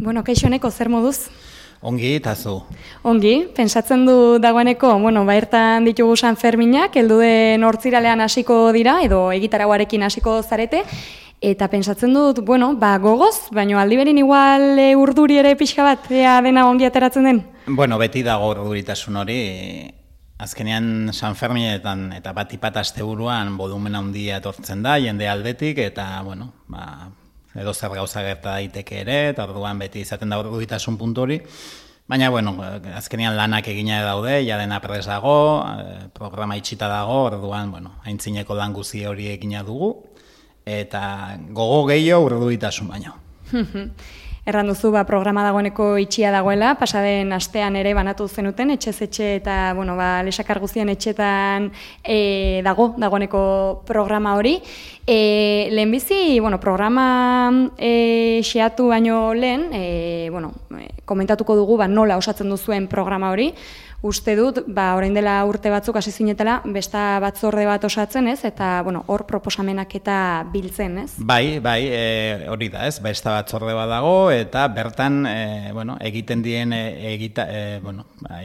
Bueno, kaixo Eneko, zer moduz? Ongi, eta zu? Ongi, pentsatzen du dagoeneko, bertan ditugu San Ferminak, heldu den hortziralean hasiko dira, edo egitaragoarekin hasiko zarete, eta pentsatzen dut, gogoz, baino aldiberin igual urduri ere pixka bat, ea dena ongi ateratzen den? Beti dago urduritasun hori, azkenean San Ferminetan eta bat asteburuan volumen handia etortzen da, jende aldetik, eta, edo zer gauza gerta daiteke ere, eta orduan beti izaten da urduritasun puntu hori. Baina, azkenean lanak egina daude, ja dena prest dago, programa itxita dago, orduan, aintzineko lan guzi hori egina dugu, eta gogo gehiago urduritasun baino. Erran duzu, programa dagoeneko itxia dagoela, pasaden astean ere banatu zenuten, etxez-etxe eta, lesakar guztien etxetan dagoeneko programa hori. Lehenbizi, programa xeatu baino lehen, komentatuko dugu nola osatzen duzuen programa hori. Uste dut, orain dela urte batzuk hasi zinetela, besta batzorde bat osatzen, ez? Eta, hor proposamenak eta biltzen, ez? Bai, hori da, ez? Besta batzorde bat dago, eta bertan, egiten dien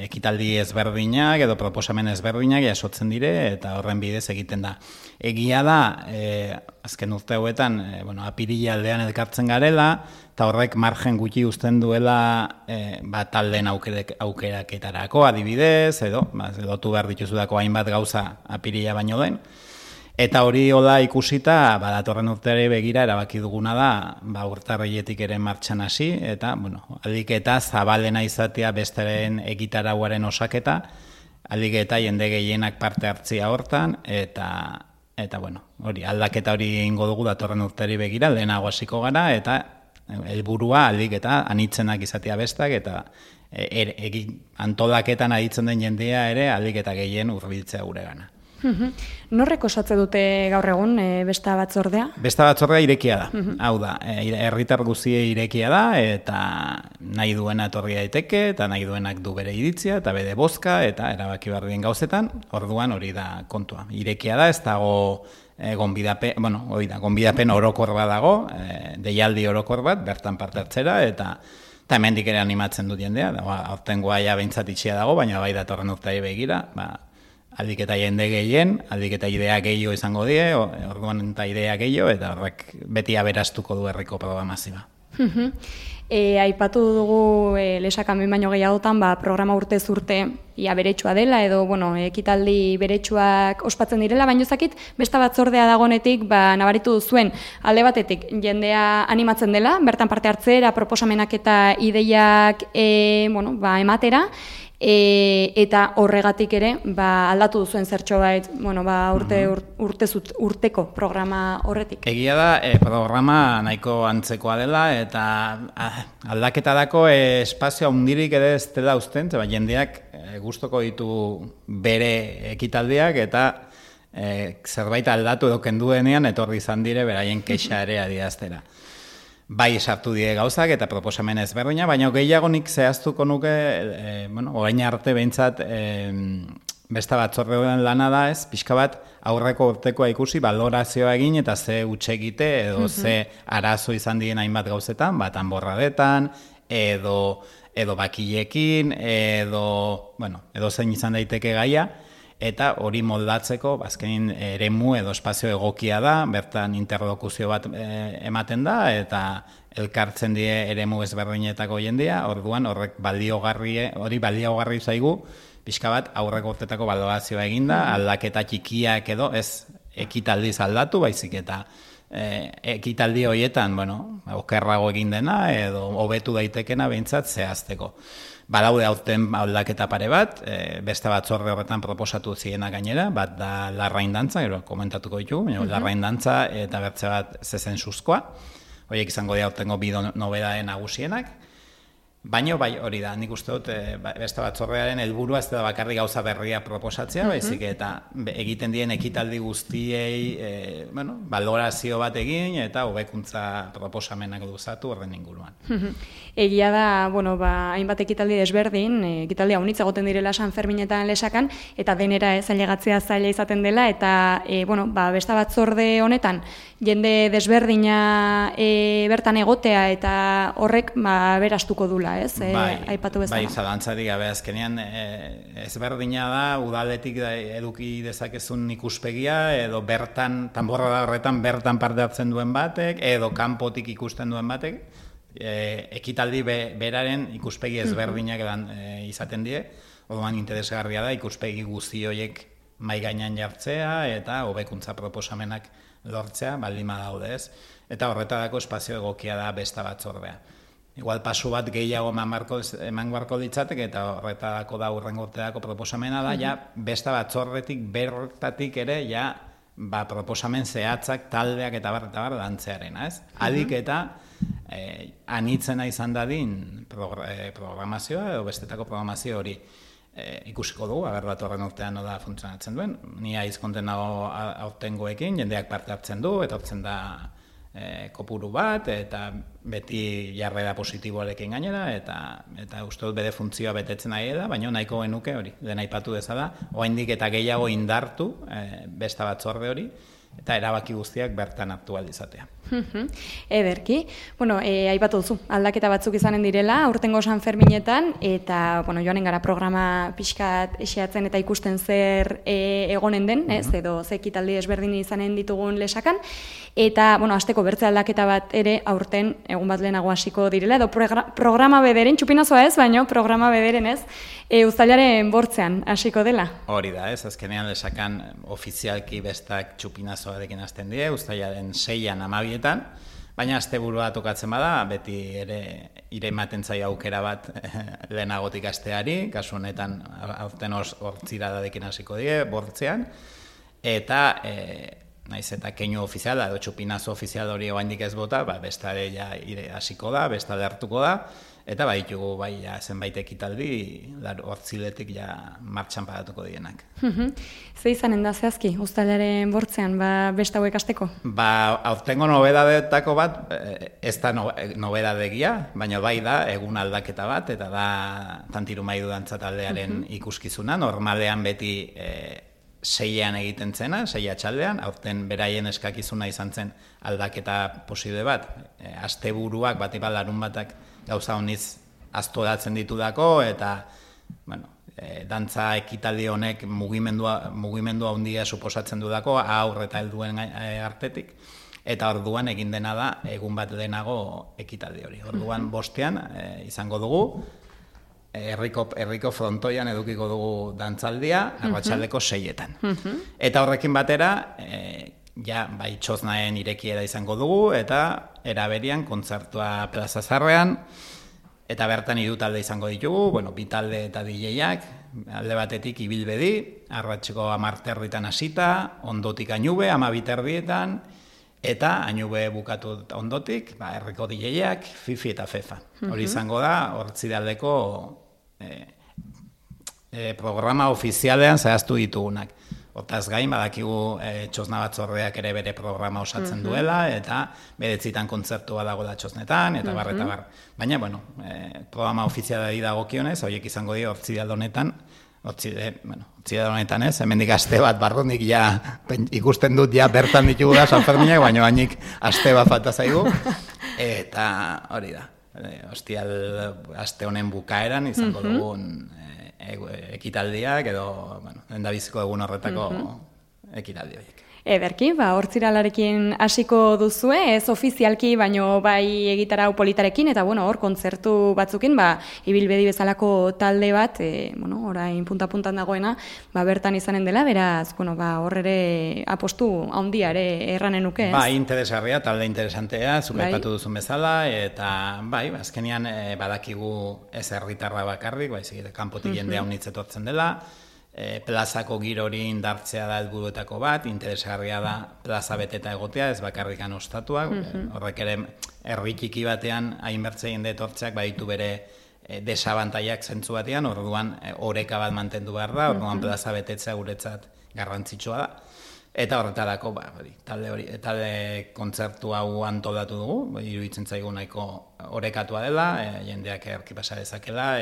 ekitaldi ezberdinak, edo proposamen ezberdinak jasotzen dire, eta horren bidez egiten da. Egia da, azken urte hauetan, apirila aldean elkartzen garela, eta horrek margen gutxi uzten duela taldeen aukeraketarako adibidez, edo lotu behar dituzudako hainbat gauza apirila baino den. Eta hori hola ikusita, datorren urteari begira erabaki duguna da, urtarriletik ere martxan hasi, eta, aldik eta zabalena izatea besteren egitarauaren osaketa, aldik eta jende gehienak parte hartzia hortan, eta hori, aldaketa hori ingo dugu datorren urteari begira, lehenago hasiko gara, eta helburua aldik eta anitzenak izatea bestak, eta antolaketan aditzen den jendea ere aldik eta gehien hurbiltzea gure gana. Norrek osatze dute gaur egun besta batzordea? Besta batzordea irekia da. Hau da, herritar guztiei irekia da, eta nahi duena etorri daiteke, eta nahi duenak du bere iritzia, eta bere bozka, eta erabaki behar dien gauzetan, orduan hori da kontua. Irekia da, ez dago gonbidapen orokor bat dago, deialdi orokor bat, bertan parte hartzera, eta hemendik ere animatzen dut jendea, aurtengoa ja behintzat itxia dago, baina bai datorren urteari begira, aldik eta jende gehien, aldik eta idea gehiago izango die, orduan eta idea gehiago, eta horrek beti aberastuko du herriko programazioa. Aipatu dugu lesakan behin baino gehiagotan, programa urtez urte ia beretsua dela, edo ekitaldi beretsuak ospatzen direla, baina ezakit besta batzordea dagonetik nabaritu duzuen alde batetik jendea animatzen dela, bertan parte hartzera, proposamenak eta ideiak ematera, eta horregatik ere aldatu duzuen zertxo bait urteko programa horretik. Egia da, programa nahiko antzekoa dela, eta aldaketarako espazio handirik ere ez dela usten, jendeak gustoko ditu bere ekitaldiak, eta zerbait aldatu edo kendu denean etorri izan dire beraien kexa ere adieraztera. Bai sartu die gauzak eta proposamen ezberdina, baina gehiago nik zehaztuko nuke, orain arte behintzat besta batzordean lana da, ez, pixka bat aurreko urtekoa ikusi, balorazioa egin eta ze huts egite edo ze arazo izan dien hainbat gauzetan, anborradetan, edo bakilekin, edo zein izan daiteke gaia, eta hori moldatzeko, azkenin eremu edo espazio egokia da, bertan interlokuzio bat ematen da, eta elkartzen die eremu ezberdinetako jendea, orduan horrek baliogarri zaigu, pixka bat aurreko urtetako balorazioa eginda, aldaketa txikiak edo ez ekitaldiz aldatu, baizik eta ekitaldi horietan, okerrago egin dena, edo hobetu daitekena behintzat zehazteko. Badaude aurten aldaketa pare bat, beste batzorde horretan proposatu ziena gainera, bat da larrain dantza, gero komentatuko ditugu, larrain dantza eta bertze bat zezen suzkoa, horiek izango dira aurtengo bi nobedaden nagusienak, baina bai hori da, nik uste dut beste batzordearen helburua ez da bakarrik gauza berria proposatzea, baizik eta egiten dien ekitaldi guztiei balorazio bat egin eta hobekuntza proposamenak luzatu horren inguruan. egia da, bueno, hainbat ekitaldi desberdin, ekitaldi haunitz egoten direla San Ferminetan Lesakan, eta denera ailegatzea zaila izaten dela, eta, bueno, besta batzorde honetan, jende desberdina bertan egotea, eta horrek, berastuko dula, ez? Aipatu bezala. Bai, zalantzarik gabe azkenean, ezberdina da, udaletik eduki dezakezun ikuspegia, edo bertan, tanborra horretan bertan parte hartzen duen batek, edo kanpotik ikusten duen batek, ekitaldi beraren ikuspegi ezberdinak izaten die, orduan interesgarria da ikuspegi guzti horiek mahai gainean jartzea eta hobekuntza proposamenak lortzea, baldin badaude ez. Eta horretarako espazio egokia da besta batzordea. Igual pasu bat gehiago eman beharko ditzatek eta horretarako da hurrengo urterako proposamena da, ja besta batzordetik bertatik ere ja proposamen zehatzak taldeak eta bar dantzearena, ez? Adik eta anitzena izan dadin programazioa edo bestetako programazio hori ikusiko dugu, datorren urtean nola funtzionatzen duen. Ni aizkonten nago aurtengoekin, jendeak parte hartzen du, eta hartzen da kopuru bat, eta beti jarrera positiboarekin gainera, eta uste dut bere funtzioa betetzen nahi da, baina nahiko genuke hori, dena aipatu dezala, oraindik eta gehiago indartu besta batzorde hori, eta erabaki guztiak bertan hartu ahal izatea. Ederki. Bueno, aipatu duzu, aldaketa batzuk izanen direla, aurtengo San Ferminetan, eta joanen gara programa pixkat esiatzen eta ikusten zer egonen den, ez, edo ze ekitaldi ezberdin izanen ditugun Lesakan, eta, hasteko bertze aldaketa bat ere aurten egun bat lehenago hasiko direla, edo programa bederen, txupinazoa ez, baina programa bederen ez, uztailaren bortzean hasiko dela. Hori da, ez, azkenean Lesakan ofizialki bestak txupinazoarekin hasten die, uztailaren 6an 12etan, baina asteburua tokatzen bada, beti ere ematen zaio aukera bat lehenagotik hasteari, kasu honetan aurten hortziradadekin hasiko die, bortzean, eta naiz eta keinu ofiziala edo txupinazo ofizial hori oraindik ez bota, bestare ja hasiko da, bestale hartuko da, eta baditugu zenbait ekitaldi hortziletik martxan paratuko dienak. Ze izanen da zehazki, uztailaren bortzean, besta hauek hasteko? Aurtengo nobedadetako bat, ez da nobedadegia, baina bai da egun aldaketa bat, eta da Tantiru Maidu dantza taldearen ikuskizuna, normalean beti 6ean egiten zena, 6 atxaldean, aurten beraien eskakizuna izan zen aldaketa posible bat, asteburuak bat larun batak gauza honiz aztoratzen ditudako, eta dantza ekitaldi honek mugimendua handia suposatzen dudako, aurre eta helduen artetik, eta orduan egin dena da egun bat lehenago ekitaldi hori. Orduan bostean izango dugu, herriko frontoian edukiko dugu dantzaldia, arratsaldeko 6etan. Eta horrekin batera, bai txoznaen irekiera izango dugu, eta eraberian kontzertua Plaza Zarrean, eta bertan hiru talde izango ditugu, bi talde eta DJak, alde batetik Ibilbedi, arratseko 10:30 hasita, ondotik Añube, 12:30, eta Añube bukatu ondotik, herriko DJak, Fifi eta Fefa. Hori izango da, hortzidaldeko programa ofizialean zehaztu ditugunak. Hortaz gain, badakigu txosna batzordeak ere bere programa osatzen duela, eta beretzitan kontzertua dagoela txosnetan, eta bar, eta bar. Baina, programa ofizialari dagokionez, horiek izango dira hortzidaldo honetan ez, hemendik aste bat barrunik ikusten dut bertan ditugu da San Ferminak, baina bainik aste bat falta zaigu, eta hori da. Aste honen bukaeran izango dugun ekitaldiak edo endabiziko egun horretako ekitaldi horiek. Ederki, hortziralarekin hasiko duzue, ez ofizialki, baino bai egitarau politarekin, eta hor kontzertu batzukin, Ibilbedi bezalako talde bat, orain punta-puntan dagoena, bertan izanen dela, beraz, hor ere apostu handia ere erranen nuke, ez? Interesgarria, talde interesantea, zuk aipatu duzun bezala, eta azkenean badakigu ez herritarra bakarrik, kanpotik jendea unitzetortzen dela, plazako giro hori indartzea da helburuetako bat, interesgarria da plaza beteta egotea, ez bakarrikan ostatuak, horrek ere herri txiki batean hainbertze jende etortzeak baditu bere desabantaiak zentzu batean, orduan oreka bat mantendu behar da, orduan plaza betetzea guretzat garrantzitsua da. Eta horretarako, talde kontzertu hau antolatu dugu, iruditzen zaigu nahiko orekatua dela, jendeak erki pasa dezakela,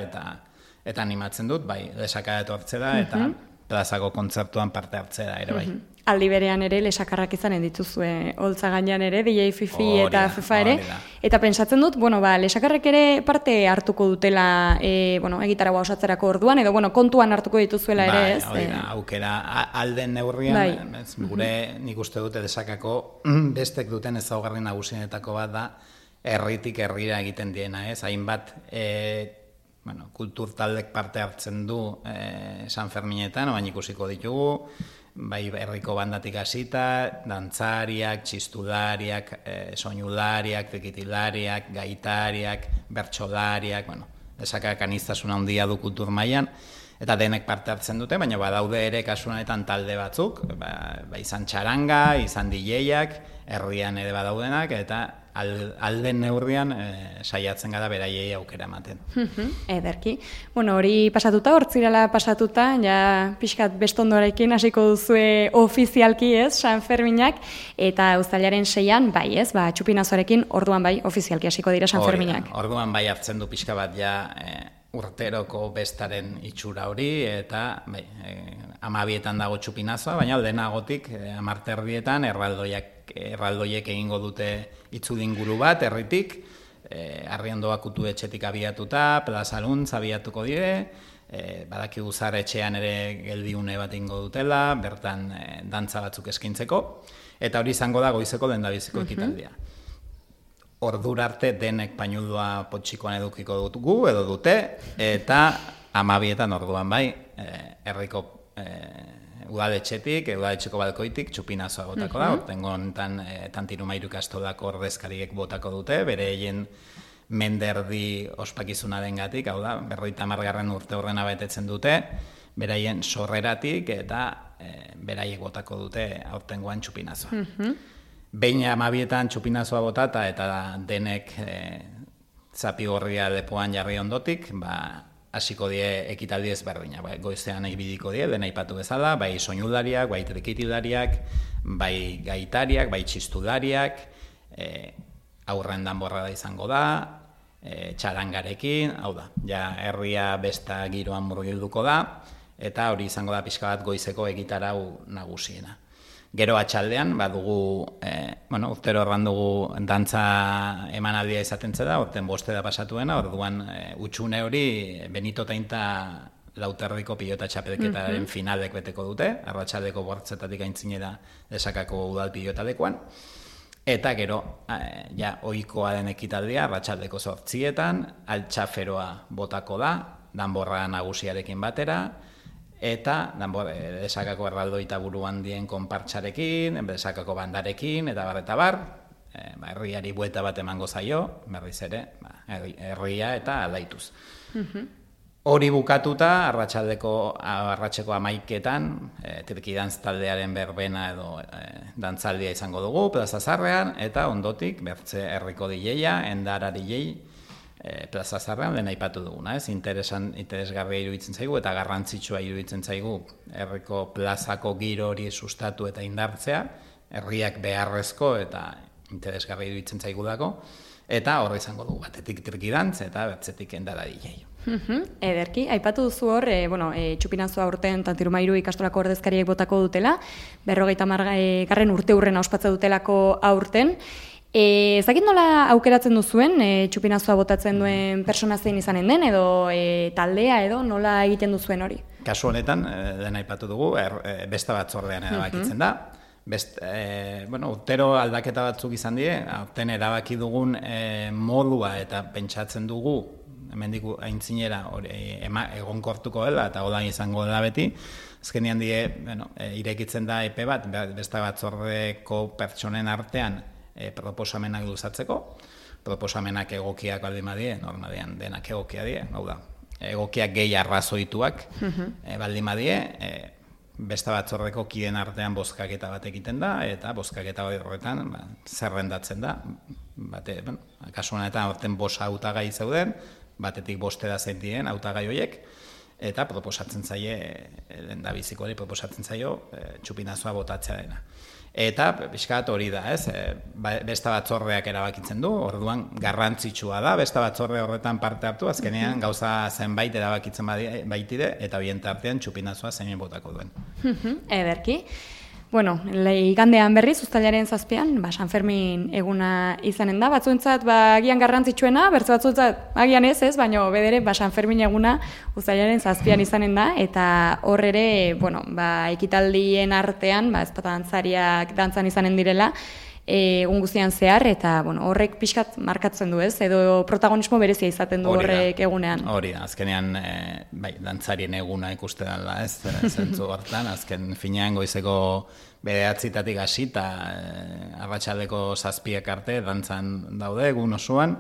eta animatzen dut, bai, lesaka etortzera, eta plazako kontzertuan parte hartzera ere, bai. Aldi berean ere lesakarrak izanen dituzue holtza gainean ere, DJ Fifi eta FIFA ere. Eta pentsatzen dut, lesakarrek ere parte hartuko dutela egitaragua osatzerako orduan, edo kontuan hartuko dituzuela ere, ez? Bai, aukera alden neurrian, gure nik uste dute lesakako bestek duten ezaugarri nagusienetako bat da, herritik herrira egiten diena, ez? Hainbat kultur taldek parte hartzen du San Ferminetan, baina ikusiko ditugu, bai herriko bandatik hasita, dantzariak, txistulariak, soinulariak, trikitilariak, gaitariak, bertsolariak, lesakak aniztasuna handia du kultur mailan, eta denek parte hartzen dute, baina badaude ere kasu honetan talde batzuk, izan txaranga, izan DJak, herrian ere badaudenak, eta alden neurrian saiatzen gara beraiei aukera ematen. Ederki. Hori pasatuta, hortzirala pasatuta, ja pixkat bestondorekin hasiko duzue ofizialki, ez, San Ferminak, eta uztailaren 6an, bai, ez, txupinazoarekin, orduan bai, ofizialki hasiko dira San Ferminak. Orduan bai hartzen du pixka bat ja urteroko bestaren itxura hori, eta 12etan dago txupinazoa, baina aldenagotik 10:30 erraldoiek egingo dute itzulinguru bat, herritik, Arriondoa kutu etxetik abiatuta, plazaluntz abiatuko dire, badakigu zar etxean ere geldiune bat ingo dutela, bertan dantza batzuk eskintzeko, eta hori izango da goizeko lehendabiziko ekitaldia. Ordura arte denek painudua potxikoan edukiko dugu, edo dute, eta 12etan orduan bai, herriko udaletxetik, udaletxeko balkoitik, txupinazoa botako da, ortengo honetan Tantiru Mairu ikastolako ordezkariek botako dute, bereien menderdi ospakizunaren gatik, hau da, 50. urte horrena betetzen dute, beraien sorreratik, eta beraiek botako dute aurtengoan txupinazoa. Behin 12etan txupinazoa botata, eta denek zapigorria lepoan jarri ondotik, hasiko die ekitaldi ezberdina, goizean ibidiko die, dena aipatu bezala, bai soinulariak, bai trikitilariak, bai gaitariak, bai txistulariak, aurren danborrada izango da, txarangarekin, hau da, ja herria besta giroan murgilduko da, eta hori izango da pixka bat goizeko egitarau nagusiena. Gero atxaldean, badugu, urtero erran dugu dantza emanaldia izaten zeda, orten 5 pasatuena, orduan utxune hori Benito Tainta Lauterriko pilota txapelketaren finalek beteko dute, arratsaldeko 8 aintzinera lesakako udal pilota lekuan, eta gero, ja, ohikoa den ekitaldia, arratsaldeko 8etan, altxaferoa botako da, danborra nagusiarekin batera, eta lesakako erraldoita buru handien konpartxarekin, lesakako bandarekin, eta bar, herriari buelta bat emango zaio, berriz ere, herria eta aldaituz. Hori bukatuta, arratseko 11etan, Trikidantz taldearen berbena edo dantzaldia izango dugu, Plaza Zarrean, eta ondotik, bertze herriko DJ-a, Endara DJ, Plaza Zarrean dena aipatu duguna, ez? Interesgarria iruditzen zaigu eta garrantzitsua iruditzen zaigu herriko plazako giro hori sustatu eta indartzea, herriak beharrezko eta interesgarria iruditzen zaigulako, eta horre izango dugu batetik Trikidantz eta bertzetik Endara DJ. Ederki, aipatu duzu hor, txupinazoa urten Tantiru Mairu ikastolako ordezkariek botako dutela, 50. urte hurrena ospatza dutelako aurten. Ezakit nola aukeratzen duzuen, txupinazoa botatzen duen persona zein izanen den, edo taldea, edo nola egiten duzuen hori? Kasu honetan, dena aipatu dugu, besta batzordean erabakitzen da. Urtero aldaketa batzuk izan die, aurten erabaki dugun modua eta pentsatzen dugu, hemendik aintzinera egonkortuko dela, eta hola izango dela beti, azkenean die, irekitzen da epe bat, besta batzordeko pertsonen artean, proposamenak luzatzeko, proposamenak egokiak baldin badie, normalean denak egokia die, hau da, egokiak gehi arrazoituak baldin badie, besta batzordeko kideen artean bozkaketa bat egiten da, eta bozkaketa horretan zerrendatzen da, kasu honetan horten 5 hautagai zeuden, batetik 5 zein diren hautagai horiek, eta proposatzen zaie, lehendabiziko hori proposatzen zaio, txupinazoa botatzea dena. Eta pixkat hori da, ez? Beste batzordeak erabakitzen du, orduan garrantzitsua da, beste batzorde horretan parte hartu, azkenean gauza zenbait erabakitzen baitide, eta bien tartean txupinazoa zeinen botako duen. Ederki. Bueno, igandean berriz, uztailaren 7an, San Fermin eguna izanen da, batzuentzat agian garrantzitsuena, bertze batzuentzat agian ez, baina bedere San Fermin eguna uztailaren 7an izanen da, eta hor ere, ekitaldien artean, ez dantzariak dantzan izanen direla, egun guztian zehar, eta horrek pixkat markatzen du, ez? Edo protagonismo berezia izaten du horrek egunean. Hori da, azkenean, dantzarien eguna ikusten dela, ez? Zentzu hortan, azken finean goizeko 9:00 hasi eta arratsaldeko 7 arte dantzan daude egun osoan,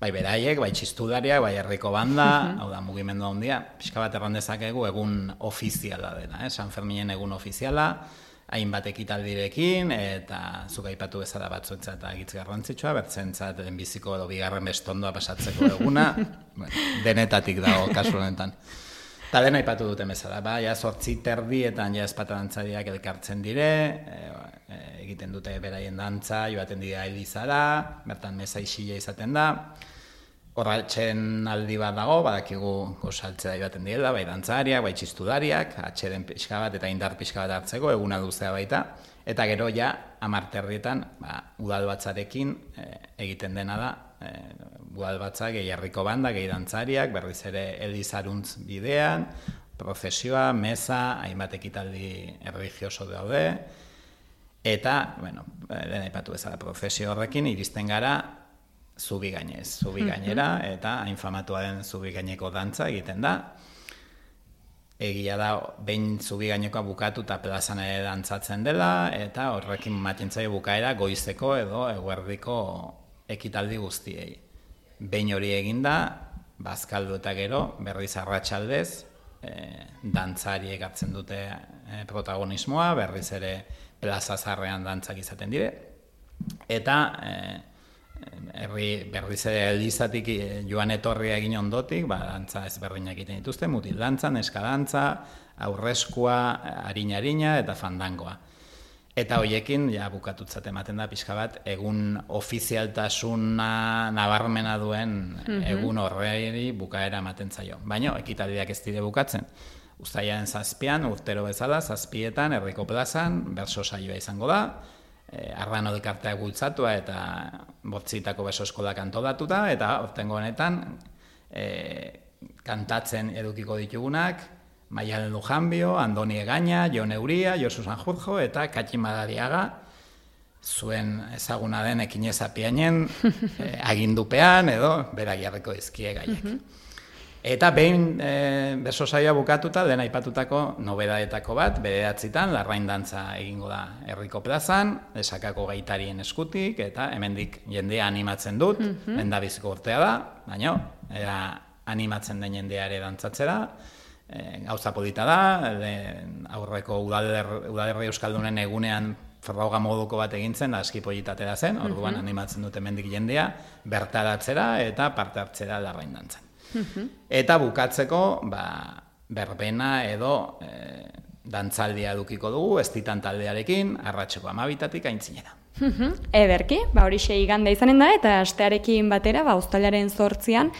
bai beraiek, bai txistulariak, bai herriko banda, hau da, mugimendu handia, pixka bat erran dezakegu egun ofiziala dena, San Ferminen egun ofiziala, hainbat ekitaldirekin, eta zuk aipatu bezala batzuentzat agitz garrantzitsua, bertzentzat lehenbiziko edo bigarren bestondoa pasatzeko eguna, denetatik dago kasu honetan. Eta dena aipatu duten bezala, 8:30 ezpata dantzariak elkartzen dire, egiten dute beraien dantza, joaten dira Elizara, bertan meza isila izaten da, horratxen aldi bat dago, badakigu gosaltzea joaten direla, bai dantzariak, bai txistudariak, atxeden pixka bat eta indar pixka bat hartzeko, eguna luzea baita, eta gero ja, 10:00 udalbatzarekin egiten dena da, udalbatza gehi herriko banda, gehi dantzariak, berriz ere Elizaruntz bidean, prozesioa, meza, hainbat ekitaldi erlijioso daude, eta, dena aipatu bezala prozesio horrekin, iristen gara, zubi gainera, eta hain famatua den zubi gaineko dantza egiten da. Egia da, behin zubi gainekoa bukatu eta plazan ere dantzatzen dela, eta horrekin matintzaio bukaera goizeko edo eguerdiko ekitaldi guztiei. Behin hori eginda, bazkaldu eta gero, berriz arratsaldez, dantzariek hartzen dute protagonismoa, berriz ere plaza zarrean dantzak izaten dire, eta berriz ere Elizatik joan etorria egin ondotik, dantza ezberdinak egiten dituzte, mutil dantza, neska dantza, aurreskua, harina eta fandangoa. Eta hoiekin, bukatutzat ematen da pixka bat, egun ofizialtasuna nabarmena duen egun horreiri bukaera ematen zaio. Baina, ekitaldiak ez dire bukatzen. Uztailaren 7an, urtero bezala, 7etan, herriko plazan, berso saioa izango da, Arrano elkartea bultzatua eta 8 beso eskolak antolatuta, eta hortengo honetan kantatzen edukiko ditugunak Maialen Lujanbio, Andoni Egaña, Jon Euria, Josu Sanjurjo eta Katxin Madariaga, zuen ezaguna den Ekinez Apiainen agindupean edo berak jarriko dizkie gaiak. Eta behin beso saioa bukatuta, lehen aipatutako nobedaetako bat, 9:00 larrain dantza egingo da herriko plazan, esakako gaitarien eskutik, eta hemendik jendea animatzen dut, lehendabiziko urtea da, baina animatzen den jendea ere dantzatzera, gauza polita da, aurreko udalerri euskaldunen egunean froga moduko bat egintzen, aski politatera zen, orduan animatzen dut hemendik jendea, bertaratzera eta parte hartzera larrain dantzan. Eta bukatzeko, berbena edo dantzaldia edukiko dugu, estitan taldearekin, arratseko 12:00 aintzinera. Ederki, horixe igande izanen da, eta astearekin batera, uztailaren 8an,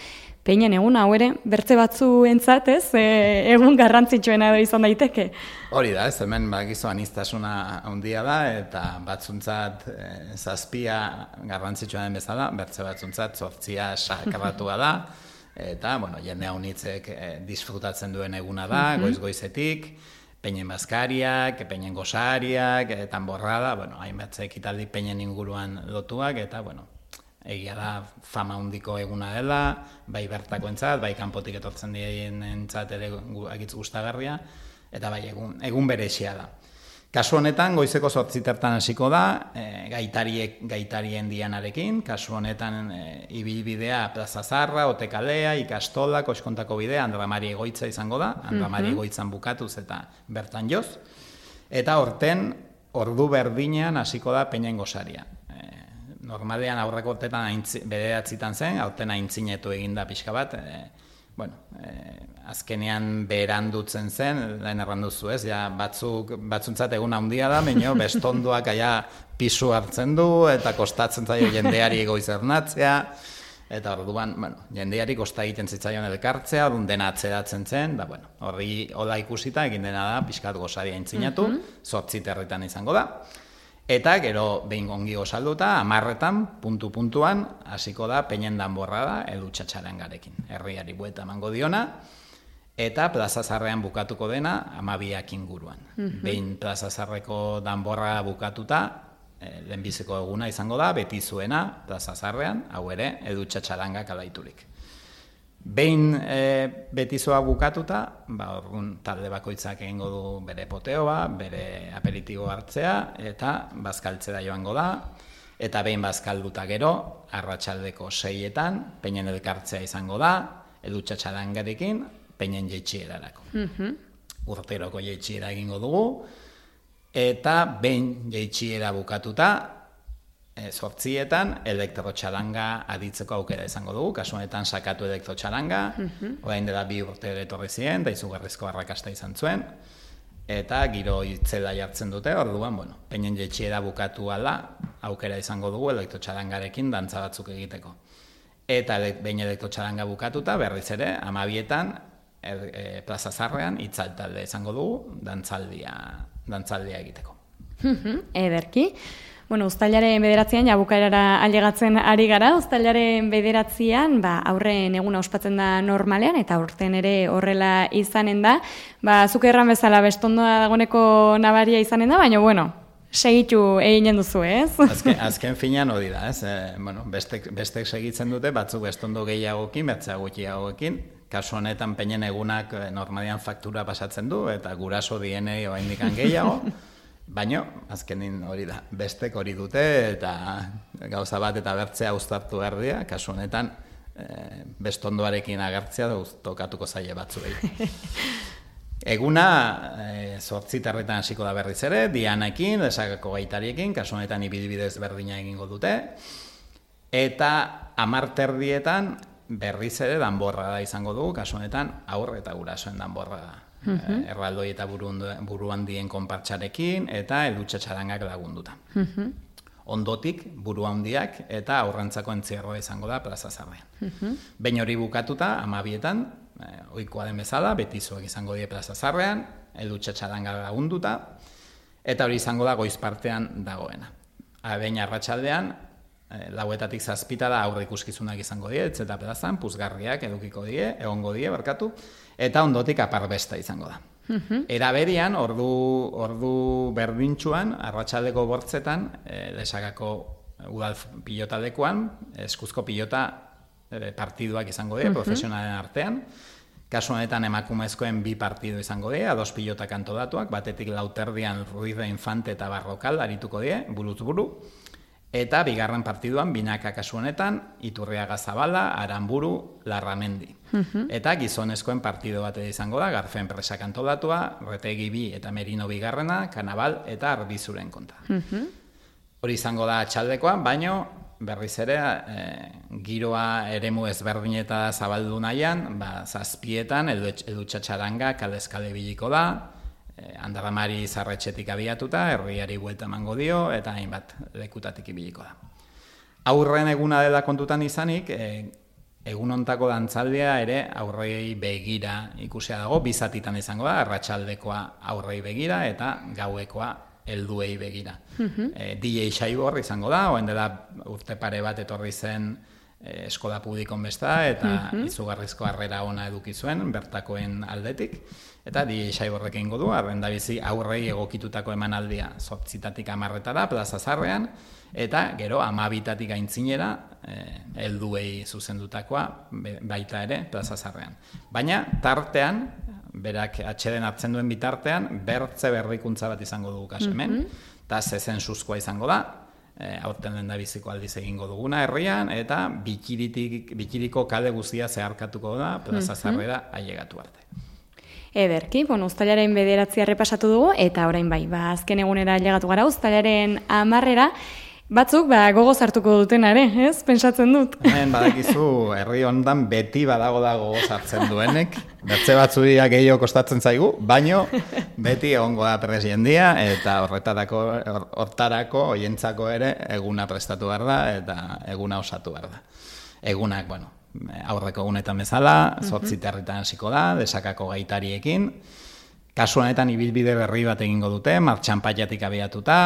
peinen egun hau ere, bertze batzuentzat, ez, egun garrantzitsuena edo izan daiteke. Hori da, ez, hemen bakizu aniztasuna handia da, eta batzuntzat 7 garrantzitsua den bezala, bertze batzuntzat 8 sakratua da, eta, jende haunitzek disfrutatzen duen eguna da, goiz-goizetik, peinen bazkariak, peinen gosariak, tanborrada, hainbat ekitaldi peinen inguruan lotuak, eta, egia da fama handiko eguna dela, bai bertakoentzat, bai kanpotik etortzen dienentzat ere agitz gustagarria, eta bai egun berezia da. Kasu honetan, goizeko 8:00 hasiko da, gaitarien dianarekin, kasu honetan ibilbidea Plaza Zarra, Otekalea, Ikastola, Koskontako bidea, Andra Mari Egoitza izango da, Andra Mari Egoitzan bukatuz eta bertan joz, eta horten ordu berdinean hasiko da peinen gosaria. Normalean aurreko urtetan 9:00 zen, aurten aintzinetu eginda pixka bat, bueno, azkenean berandutzen zen, lehen erranduzu ez, ja batzuntzat egun handia da, baina bestondoak aia pisu hartzen du, eta kostatzen zaio jendeari goiz ernatzea, eta orduan, bueno, jendeari kosta egiten zitzaion elkartzea, orduan dena atzeratzen zen, da, bueno, horri hola ikusita egin dena da, pixkat gosaria intzinatu, 8 herritan izango da, eta gero behin ongi gozalduta, 10etan, puntuan, hasiko da, peinen danborra da, Edu Txatxarangarekin, herriari buelta emango diona, eta Plaza Zarrean bukatuko dena 12ak inguruan. Behin Plaza Zarreko danborra bukatuta, lehenbiziko eguna izango da, beti zuena Plaza Zarrean, hau ere, Edu Txatxarangak alaiturik. Behin betizoa bukatuta, orduan talde bakoitzak egingo du bere poteoa, bere aperitibo hartzea, eta bazkaltzera joango da, eta behin bazkalduta gero, arratsaldeko 6etan, peinen elkartzea izango da, Edu Txatxarangarekin, peinen jeitxierarako. Urteroko jeitxiera egingo dugu, eta behin jeitxiera bukatuta, 8etan elektrotxaranga aditzeko aukera izango dugu, kasu honetan sakatu elektrotxaranga, orain dela 2 urte etorri ziren, da izugarrizko arrakasta izan zuen, eta giro itzela jartzen dute, orduan, bueno, peinen jeitxiera bukatu ala, aukera izango dugu elektrotxarangarekin dantza batzuk egiteko. Eta behin elektrotxaranga bukatuta, berriz ere, 12etan, Plaza Zarrean, itzaltalde izango dugu, dantzaldia egiteko. Ederki. Bueno, uztailaren 9an, bukaerara ailegatzen ari gara, uztailaren 9an, aurren eguna ospatzen da normalean, eta aurten ere horrela izanen da. Zuk erran bezala bestondoa dagoneko nabaria izanen da, baina, bueno, segitu eginen duzu, ez? Azken finean hori da, ez? Bestek segitzen dute, batzuk bestondo gehiagokin, bertzea gutxiagokin, kasu honetan peinen egunak normalean faktura pasatzen du, eta guraso dienei oraindikan gehiago, baina, azkenin hori da, bestek hori dute, eta gauza bat eta bertzea uztartu behar dira, kasu honetan bestondoarekin agertzea tokatuko zaie batzuei. Eguna 8 hasiko da berriz ere, Dianekin, Lesakako gaitariekin, kasu honetan ibidibidez berdina egingo dute, eta 10 berriz ere danborra da izango dugu, kasu honetan aur eta gurasoen danborra da. Erraldoi eta buruan dien konpartxarekin eta Edu Txatxarangak lagunduta. Ondotik, buru handiak eta aurrentzako entzierroa izango da Plaza Zarrean. Behin hori bukatuta, 12etan, ohikoa den bezala, betizuak izango die Plaza Zarrean, Edu Txatxarangak lagunduta, eta hori izango da goiz partean dagoena. Behin arratsaldean, 4etatik 7 da aurre ikuskizunak izango die, eta plazan, puzgarriak egongo die, eta ondotik aparbesta izango da. Eraberian, ordu berdintxuan, arratsaldeko 8etan, Lesakako udal pilotalekuan, eskuzko pilota partiduak izango die, profesionalen artean, kasu honetan emakumezkoen 2 partidu izango die, 2 pilotak antolatuak, batetik Lauterdian Ruiz de Infante eta Barrokal arituko die, buruz buru, eta bigarren partiduan, binaka kasu honetan, Iturriaga Zabala, Aranburu, Larramendi. Eta gizonezkoen partido bat izango da, Garfen Presak antolatua, Retegi 2 eta Merino bigarrena, Kanabal eta Arbizuren kontra. Hori izango da atxaldekoan, baino berriz ere, giroa eremu ezberdin eta zabaldu nahian, 7etan, Edu Txatxaranga kaleskale biliko da, Andarramari Zarretxetik abiatuta, herriari buelta emango dio, eta hainbat lekutatik ibiliko da. Aurren eguna dela kontutan izanik, egun hontako dantzaldia ere aurrei begira ikusia dago, 2 zatitan izango da, arratsaldekoa aurrei begira eta gauekoa helduei begira. DJ Saibor izango da, oen dela urte pare bat etorri zen eskola publikon besta, eta izugarrizko harrera ona eduki zuen, bertakoen aldetik. Eta DJ Saiborrek egingo du, arrendabizi aurrei egokitutako emanaldia 8etatik 10etara, Plaza Zarrean, eta gero 12tatik aintzinera, helduei zuzendutakoa baita ere Plaza Zarrean. Baina tartean, berak atxeden hartzen duen bitartean, bertze berrikuntza bat izango dugu kasu hemen, eta zezen suzkoa izango da, aurten lehendabiziko aldiz egingo duguna herrian, eta bikiriko kale guztia zeharkatuko da Plaza Zarrera ailegatu arte. Ederki, uztailaren 9 errepasatu dugu, eta orain bai, azken egunera ailegatu gara, uztailaren 10 Batzuk, gogo sartuko dutenare, ez? Pentsatzen dut. Hemen badakizu, herri hondan beti badago da gogo sartzen duenek. Bertze batzuia gehiago kostatzen zaigu, baino beti egongo da prest jendia, eta hortarako, hoientzako ere, eguna prestatu behar da, eta eguna osatu behar da. Egunak, aurreko egunetan bezala, 8 herritan hasiko da, Desakako gaitariekin. Kasu honetan ibilbide berri bat egingo dute, Martxanpaiatik abiatuta,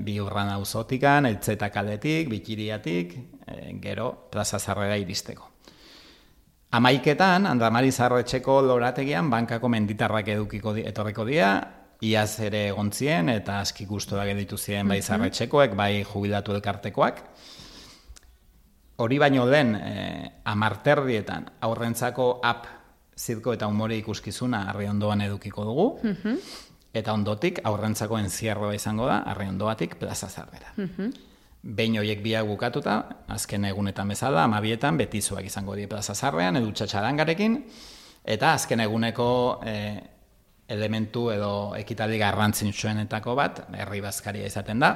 Biurran auzotikan, Eltzeta kaletik, Bikiriatik, gero Plaza Zarrera iristeko. 11etan, Andramari Zarretxeko lorategian bankako menditarrak etorriko dira, iaz ere egontzien eta aski gustuak editu ziren bai Zarretxekoek, bai jubilatu elkartekoak. Hori baino lehen, 10:00 aurrentzako app zirko eta umore ikuskizuna Arriondoan edukiko dugu, eta ondotik aurrentzako enzierroa izango da Arriondoatik Plaza Zarrera. Behin horiek biak bukatuta, azken egunetan bezala, 12etan betizuak izango di Plaza Zarrean, edutxa txarangarekin, eta azken eguneko elementu edo ekitaldi garrantzitsuenetako bat, herri bazkaria izaten da,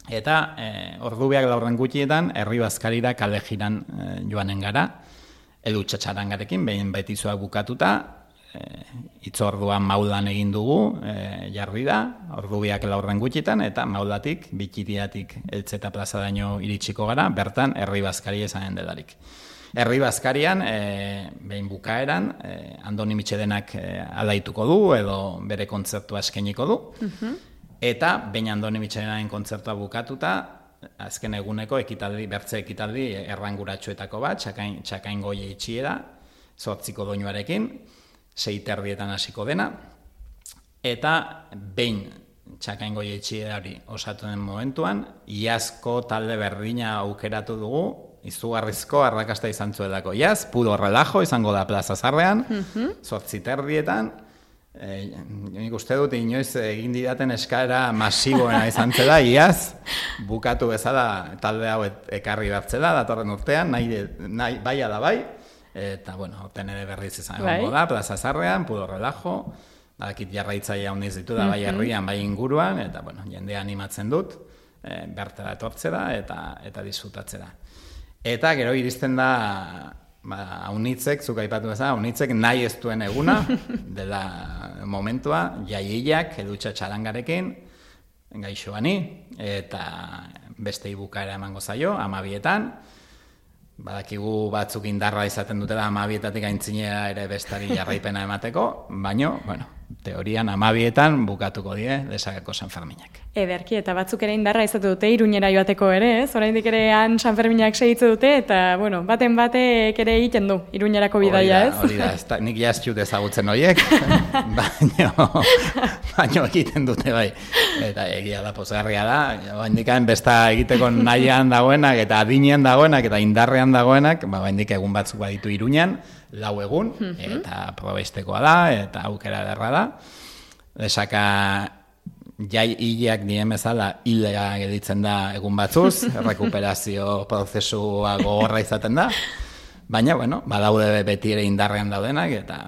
eta ordubiak laurren gutxietan, herri bazkarira kale jiran joanen gara, edutxa txarangarekin, behin betizuak bukatuta, itzorduan maulan egin dugu, jarri da, ordubiak laurren gutxitan, eta maulatik, Bikiriatik, Eltzeta Plaza daño iritsiko gara, bertan herri bazkaria izanen delarik. Herri bazkarian, behin bukaeran, Andoni Mitxedenak alaituko du, edo bere kontzertua eskainiko du, eta behin Andoni Mitxedenaren kontzertua bukatuta, azken eguneko bertze ekitaldi erranguratsuetako bat, txakain goie itxiera, 8 doinuarekin, 6:30 hasiko dena, eta behin txakain goie itxiera hori osatu den momentuan, iazko talde berdina aukeratu dugu, izugarrizko arrakasta izan zuelako. Iaz, Pudo Relajo izango da Plaza Zarrean, 8:30, nik uste dut inoiz egin didaten eskaera masiboena izan zela, iaz, bukatu bezala talde hau ekarri bertzela, datorren urtean, nahi bai ala bai, eta, horten ere berriz izan egongo da, Plaza Zarrean, Pudo Relajo, badakit jarraitzaile handiz ditu da, bai herrian, bai inguruan, eta, jendea animatzen dut, bertara etortzera eta disfrutatzera. Eta gero iristen da, Aunitzek, zuk aipatu bezala, Aunitzek nahi ez duen eguna, dela momentua, jaiiak, edutxa txarangarekin, gaixoani, eta beste ibukaera emango zaio, 12etan, badakigu batzuk indarra izaten dutela 12etatik aintzinera ere bestari jarraipena emateko, baino, teorian 12etan bukatuko die Desakako Sanferminak. Ederki, eta batzuk ere indarra izate dute Iruñera joateko ere, ez? Oraindik ere han Sanferminak segitze dute, eta, baten batek ere egiten du Iruñerako bidaia, ez? Hori da, nik jaztxut ezagutzen horiek, baino egiten dute bai. Eta egia da, pozgarria da, baindikan besta egiteko nahian dagoenak, eta adinean dagoenak, eta indarrean dagoenak, baindik egun batzuk baditu Iruñan, 4 egun, eta probestekoa da, eta aukera derra da. Desaka jai hileak dien bezala hilea gelditzen da egun batzuz, rekuperazio prozesua gogorra izaten da, baina, badaude beti ere indarrean daudenak, eta,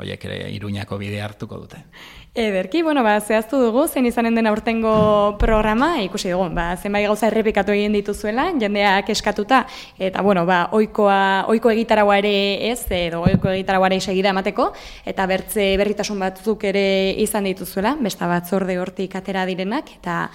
horiek ere Iruñako bidea hartuko dute. Ederki, zehaztu dugu, zein izanen den aurtengo programa, ikusi dugu, zenbait gauza errepikatu egin dituzuela, jendeak eskatuta, eta, ohiko egitaragoa ere ez, edo ohiko egitaragoa ere segida emateko, eta berritasun batzuk ere izan dituzuela, besta batzorde hortik atera direnak, eta,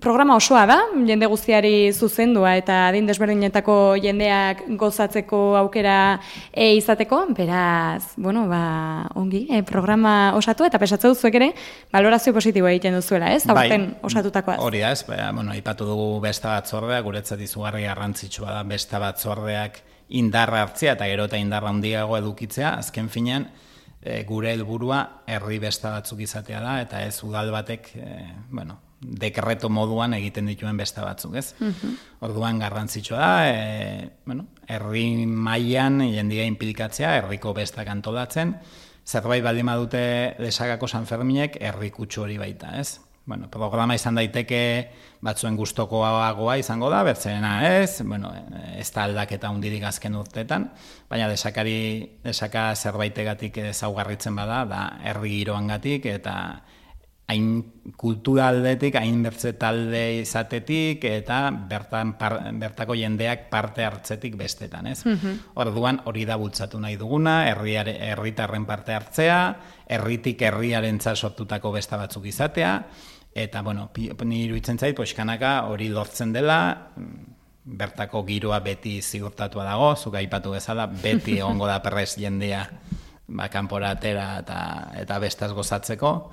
programa osoa da, jende guztiari zuzendua eta adin desberdinetako jendeak gozatzeko aukera izateko, beraz, ongi, programa osatu eta pesatze duzuek ere, valorazio positiboa egiten duzuela, ez? Aurten osatutakoaz. Hori da, ez, aipatu dugu besta batzordea, guretzat izugarri garrantzitsua da besta batzordeak indarra hartzea eta gero eta indarra handiago edukitzea, azken finean, gure helburua herri besta batzuk izatea da, eta ez udal batek, dekreto moduan egiten dituen besta batzuk, ez? Orduan garrantzitsua da, herri mailan jendia inplikatzea, herriko bestak antolatzen, zerbait baldin badute Desakako Sanferminek herri kutsu hori baita, ez? Programa izan daiteke batzuen gustokoagoa izango da, bertzena ez, ez da aldaketa hundirik azken urteetan, baina Desaka zerbaitegatik ezaugarritzen bada, da herri giroangatik eta hain kultura aldetik, hain bertze talde izatetik, eta bertako jendeak parte hartzetik bestetan, ez? Orduan, hori da bultzatu nahi duguna, herritarren parte hartzea, herritik herriarentzat sortutako besta batzuk izatea, eta, bueno, ni iruditzen zait, poixkanaka hori lortzen dela, bertako giroa beti zigurtatua dago, zuk aipatu bezala, beti egongo da perrez jendea, kanpora atera eta bestaz gozatzeko.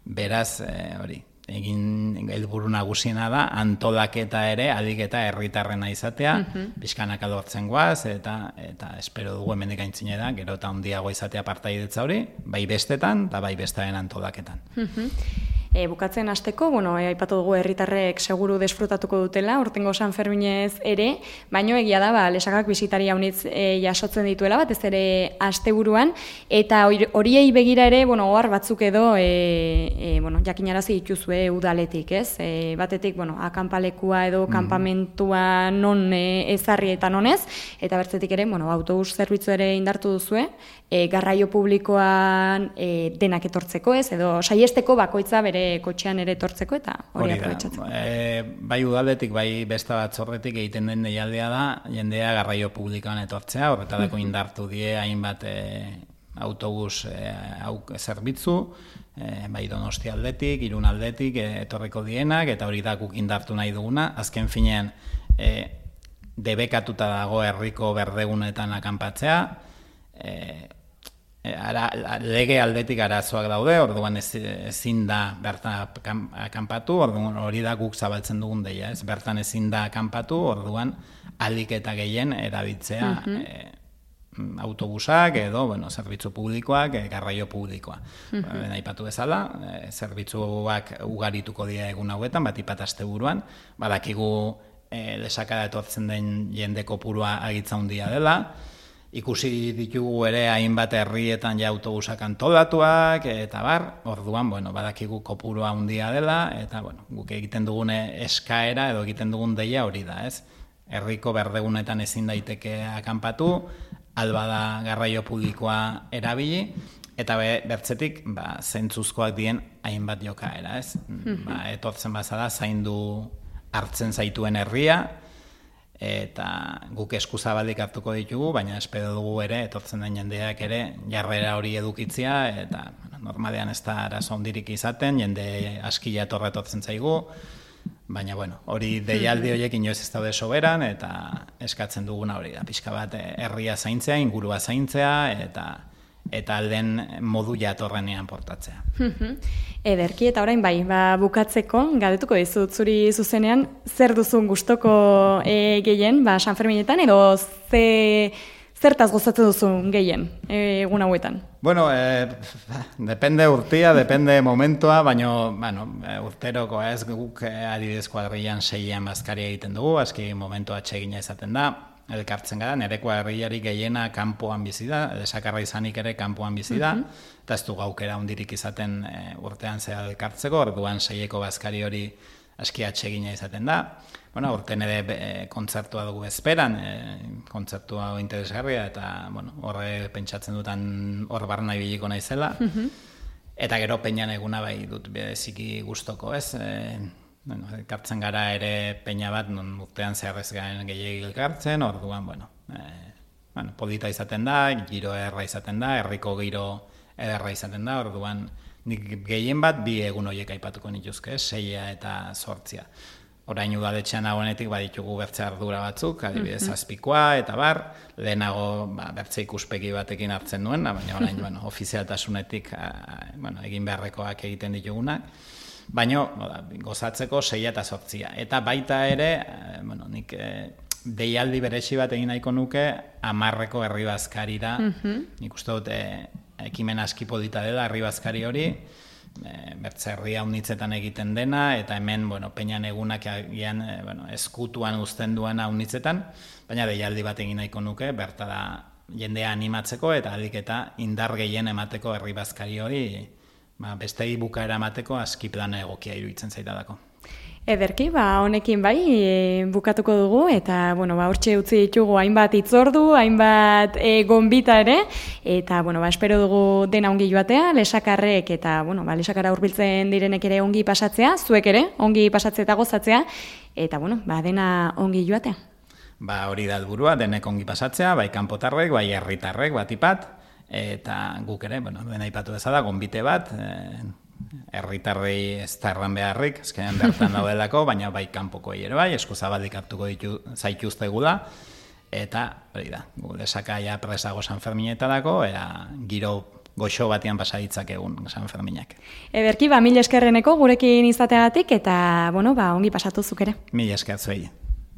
Beraz, hori, egin helburu nagusiena da, antolaketa ere, adiketa herritarrena izatea, pixkanaka lortzen goaz, eta espero dugu hemendik aintzine da, gero eta handiago izatea partaidetza hori, bai bestetan, eta bai bestaren antolaketan. Bukatzen hasteko, aipatu dugu herritarrek seguru desfrutatuko dutela, urtengo San Ferminez ere, baino egia da, Lesakak bisitari haunitz jasotzen dituela, batez ere asteburuan, eta horiei begira ere, ohar batzuk edo, jakinarazi dituzue udaletik, ez? Batetik, akampalekua edo kanpamentua non ezarri eta nonez, eta bertzetik ere, autobus zerbitzu ere indartu duzue, garraio publikoan denak etortzeko, ez? Edo saiesteko bakoitza bere kotxean ere etortzeko eta hori aprobetxatzeko. Bai udaletik, bai besta batzorretik egiten den deialdea da, jendea garraio publikoan etortzea, horretarako indartu die hainbat autobus zerbitzu, bai Donostia aldetik, Irun aldetik etorriko dienak, eta hori da guk indartu nahi duguna. Azken finean, debekatuta dago herriko berdegunetan akanpatzea, lege aldetik arazoak daude, orduan ezin da bertan akanpatu, orduan hori da guk zabaltzen dugun deia, ez? Bertan ezin da akanpatu, orduan ahalik eta gehien erabiltzea autobusak edo, zerbitzu publikoak, garraio publikoa. Aipatu bezala, zerbitzuak ugarituko dira egun hauetan, batipat asteburuan, badakigu Lesakara etortzen den jende kopurua agitza handia dela, ikusi ditugu ere hainbat herrietan ja autobusak antolatuak, eta orduan, badakigu kopurua handia dela, eta, guk egiten dugune eskaera edo egiten dugun deia hori da, ez? Herriko berdegunetan ezin daiteke akanpatu, alba da garraio publikoa erabili, eta bertzetik, zentzuzkoak dien hainbat jokaera, ez? Etortzen bazada, zaindu hartzen zaituen herria, eta guk eskuzabalik hartuko ditugu, baina espero dugu ere, etortzen den jendeak ere, jarrera hori edukitzia, eta normalean ez da arazo handirik izaten, jende askila etorretortzen zaigu, baina hori deialdi horiek inoiz ez daude soberan, eta eskatzen duguna hori da, pixka bat herria zaintzea, ingurua zaintzea, eta alden modu jatorrenean portatzea. Ederki, eta orain bukatzeko, galdetuko dizut zuri zuzenean, zer duzun gustoko gehien, San Ferminetan, edo zertaz gozatzen duzun gehien egun hauetan? Depende urtia, depende momentua, baina urteroko ez guk adibidez kuadrillan 6 bazkaria egiten dugu, aski momentua atsegina izaten da, elkartzen gara, nire kuadrillari gehiena kanpoan bizi da, Lesakarra izanik ere kanpoan bizi da, eta ez du gaukera hundirik izaten urtean zehar elkartzeko, orduan 6eko bazkari hori aski atsegina izaten da. Urten ere kontzertua dugu bezperan, kontzertua interesgarria, eta horre pentsatzen dutan hor barna ibiliko naizela, eta gero peñan eguna bai dut beziki gustoko, ez? Elkartzen gara ere peña bat, non urtean zeharrez garen gehiagik elkartzen, orduan, polita izaten da, giro erra izaten da, herriko giro ederra izaten da, orduan, nik gehien bat bi egun horiek aipatuko nituzke, 6 eta 8. Orain udaletxean nagoenetik baditugu bertze ardura batzuk, adibidez azpikoa eta lehenago bertze ikuspegi batekin hartzen nuen, baina orain ofizialtasunetik egin beharrekoak egiten ditugunak. Baina gozatzeko 6 eta 8. Eta baita ere, nik deialdi beresi bat egin nahiko nuke 10eko herri bazkarira. Nik uste dut ekimen aski polita dela herri bazkari hori, bertze herria unitzetan egiten dena, eta hemen peñan egunak eskutuan uzten duena unitzetan, baina deialdi bat egin nahiko nuke, bertara jendea animatzeko eta ahalik eta indar gehien emateko herri bazkari hori, bestei bukaera emateko aski plana egokia iruditzen zaitadako. Ederki, honekin bai, bukatuko dugu, eta, hortxe utzi ditugu hainbat itzordu, hainbat gonbita ere, eta, espero dugu dena ongi joatea, lesakarrek, eta, lesakara hurbiltzen direnek ere ongi pasatzea, zuek ere, ongi pasatzea eta gozatzea, eta, dena ongi joatea. Hori da helburua, denek ongi pasatzea, bai kanpotarrek, bai herritarrek, batipat, eta guk ere, dena aipatu bezala, gonbite bat, herritarrei ez da erran beharrik, ezkenean bertan daudelako, baina bai kanpokoei ere bai, eskuzabalik hartuko zaituztegula, eta hori da, lesakaia presago San Ferminetarako, giro goxo batian pasaditzak egun San Ferminak. Ederki, mil eskerreneko gurekin izateagatik, eta ongi pasatu zuk ere. Mil esker zuei.